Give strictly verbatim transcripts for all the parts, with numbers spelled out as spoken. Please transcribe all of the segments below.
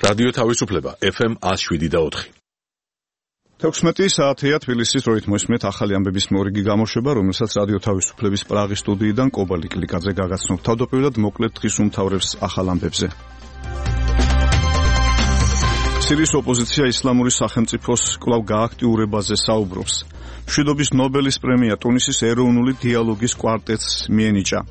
რადიო თავისუფლება ეფ ემ one oh seven point four. თექვსმეტი საათია თბილისის როით მოისმენთ ახალი ამბების მორიგი გამოშვება, რომელსაც რადიო თავისუფლების პრაღის სტუდიიდან კობალი კლიკაძე გაგაცნობ. თავდაპირველად მოკლედ დღის უმთავრებს ახალ ამბებზე. სირიის ოპოზიცია ისლამური სახელმწიფოს კვლავ გააქტიურებაზე საუბრობს. მშვიდობის ნობელის პრემია ტუნისის ეროვნული დიალოგის კვარტეტს მიენიჭა.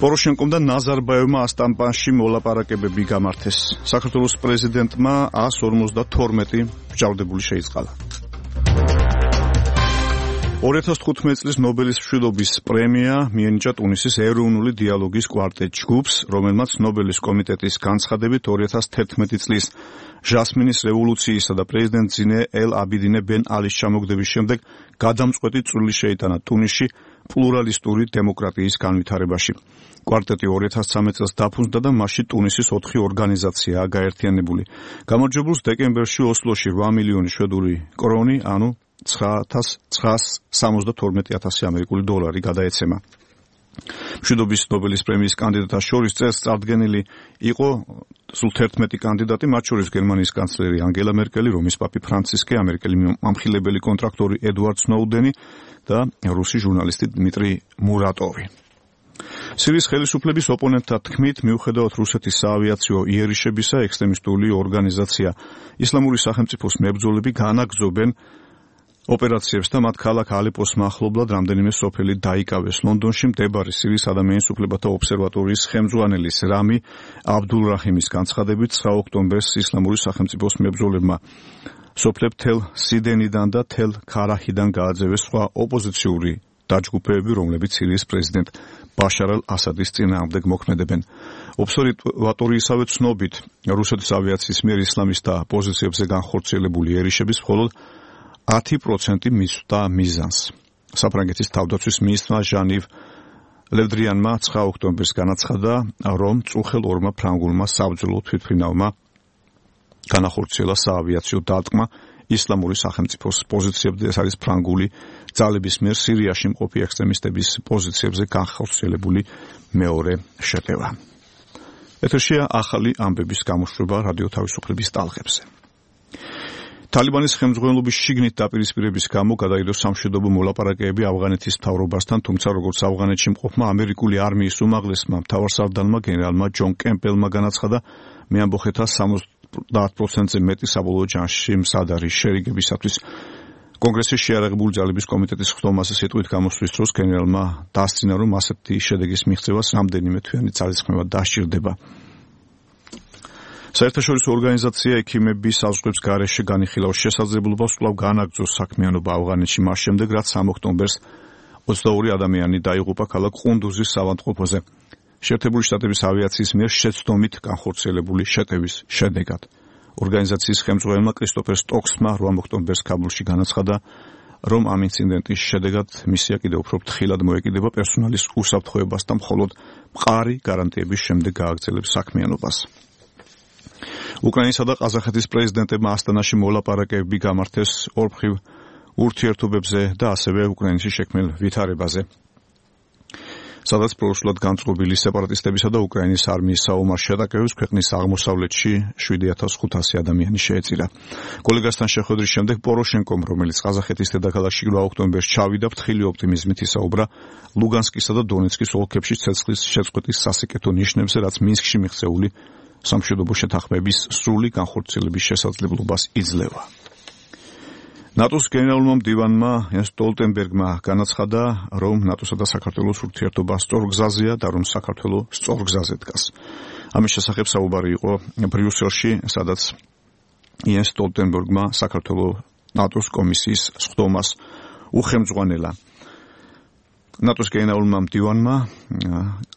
პოროშენკომ და ნაზარბაევმა ასტამბანში მოლაპარაკებები გამართეს. საქართველოს პრეზიდენტმა one forty-two მსჯავრდებული შეიწყალა. two thousand fifteen წლის ნობელის მშვიდობის პრემია მიენიჭა ტუნისის ეროვნული დიალოგის კვარტეტ ჯგუფს, რომელმაც ნობელის კომიტეტის განცხადებით two thousand eleven წლის ჟასმინის რევოლუციისა და პრეზიდენტ ზინე ელ აბიდინე ბენ ალის ჩამოგდების შემდეგ გადამწყვეტი წვლილი შეიტანა ტუნისში პლურალისტური დემოკრატიის განვითარებაში. კვარტეტი two thousand thirteen წელს დაფუძნდა და მასში ტუნისის ოთხი ორგანიზაციაა გაერთიანებული. გამარჯვებულს დეკემბერში ოსლოში eight მილიონი შვედური კრონი, ანუ nine thousand nine hundred seventy-two ამერიკული დოლარი გადაეცემა. მშვიდობის ნობელის პრემიის კანდიდატთა შორის წელს წარდგენილი იყო სულ eleven კანდიდატი, მათ შორის გერმანიის კანცლერი ანგელა მერკელი, რომის პაპი ფრანცისკე, ამერიკელი მამხილებელი კონტრაქტორი ედვარდ სნოუდენი და რუსი ჟურნალისტი დმიტრი მურატოვი. სირიის ხელისუფლების ოპონენტთა თქმით, მიუხედავად რუსეთის საავიაციო იერიშებისა, ექსტრემისტული ორგანიზაცია ისლამური სახელმწიფოს მებრძოლები განაგრძობენ ოპერაციებს და მათ ქალაქ ალეპოს მახლობლად რამდენიმე სოფელი დაიკავეს. ლონდონში მდებარე სირიის ადამიანის უფლებათა ობსერვატორიის ხელმძღვანელის რამი აბდულრაჰიმის განცხადებით nine ოქტომბერს ისლამური სახელმწიფოს მებრძოლებმა სოფლებ თელ სიდენიდან და თელ ქარაჰიდან გააძევეს სხვა ოპოზიციური დაჯგუფებები, რომლებიც სირიის პრეზიდენტ ბაშარ ალ-ასადის წინააღმდეგ მოქმედებენ. ობსერვატორიისავე ცნობით, რუსეთის ავიაციის მიერ ისლამისტთა პოზიციებზე განხორციელებული იერიშების მხოლოდ ten percent მისვდა მიზანს. საფრანგეთის თავდაცვის მინისტრმა ჟანივ ლევდრიანმა nine ოქტომბერს განაცხადა, რომ წუხელ ორმა ფრანგულმა საბრძოლო თვითმფრინავმა განახორციელა საავიაციო დარტყმა ისლამური სახელმწიფოს პოზიციებზე. ეს არის ფრანგული ძალების მიერ სირიაში მყოფი ექსტრემისტების პოზიციებზე განხორციელებული მეორე შეტევა. ეთერშია ახალი ამბების გამოშვება რადიო თავისუფლების ტალღებზე. თალიბანის ხელმძღვანელობის შიგნით დაპირისპირების გამო გადაიდო სამშვიდობო მოლაპარაკებები ავღანეთის მთავრობასთან, თუმცა როგორც ავღანეთში მყოფმა ამერიკული არმიის უმაღლესმა მთავარსარდალმა გენერალმა ჯონ კემპელმა განაცხადა, მეამბოხეთა seventy percent-ზე მეტი საბოლოო ჯანში მზად არის შერიგებისათვის. კონგრესის შეიარაღებული ძალების კომიტეტის ხდომაზე სიტყვით გამოსვლის დროს გენერალმა დასძინა, რომ ასეთი შედეგის მიღწევას რამდენიმე თვიანი ძალისხმევა დასჭირდება. საერთაშორისო ორგანიზაცია ექიმების საზღვრების გარეშე განიხილავს შესაძლებლობას კვლავ განაგრძოს საქმიანობა ავღანეთში მას შემდეგ, რაც three ოქტომბერს twenty-two ადამიანი დაიღუპა ქალაქ ყუნდუზის ავადმყოფოზე. შეერთებული შტატების ავიაციის მიერ შეცდომით განხორციელებული შეტევის შედეგად. ორგანიზაციის ხელმძღვანელმა კრისტოფერ სტოქსმა eight ოქტომბერს ქაბულში განაცხადა, რომ ამ ინციდენტის შედეგად მისია კიდევ უფრო ფრთხილად მოეკიდება პერსონალის უსაფრთხოებას და მხოლოდ მყარი გარანტიების შემდეგ გააგრძელებს საქმიანობას. უკრაინისა და ყაზახეთის პრეზიდენტებმა ასტანაში მოლაპარაკებები გამართეს ორმხრივ ურთიერთობებზე და ასევე უკრაინაში შექმნილ ვითარებაზე, სადაც პროშლად განწყობილი სეპარატისტებისა და უკრაინის არმიის საომარ შეტაკებებს ქვეყნის აღმოსავლეთში seven thousand five hundred ადამიანი შეეწირა. კოლეგასთან შეხვედრის შემდეგ პოროშენკომ, რომელიც ყაზახეთის დედაქალაქში eight ოქტომბერს ჩავიდა, ფრთხილი ოპტიმიზმით ისაუბრა ლუგანსკისა და დონეცკის ოლქებში ცეცხლის შეწყვეტის სასიკეთო ნიშნებზე, რაც მინსკში მიღწეული სამშვიდობო შეთანხმების სრული განხორციელების შესაძლებლობას იძლევა. ნატოს გენერალურმა მდივანმა იანს სტოლტენბერგმა განაცხადა, რომ ნატოსა და საქართველოს ურთიერთობა სწორ გზაზეა და რომ საქართველო სწორ გზაზე დგას. ამის შესახებ საუბარი იყო ბრიუსელში, სადაც იანს სტოლტენბერგმა საქართველოს ნატოს კომისიის სხდომას უხელმძღვანელა. ნატოს გენერალურმა მდივანმა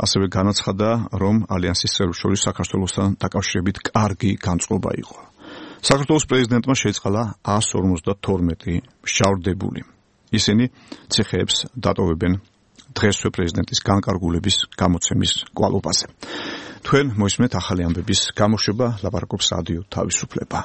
ასევე განაცხადა, რომ ალიანსის წევრებს შორის საქართველოსთან დაკავშირებით კარგი განწყობა იყო. საქართველოს პრეზიდენტმა შეიწყალა one forty-two მსჯავრდებული. ისინი ციხეებს დატოვებენ დღესვე პრეზიდენტის განკარგულების გამოცემის კვალობაზე. თქვენ მოისმენთ ახალი ამბების გამოშვება, ლაპარაკობს რადიო თავისუფლება.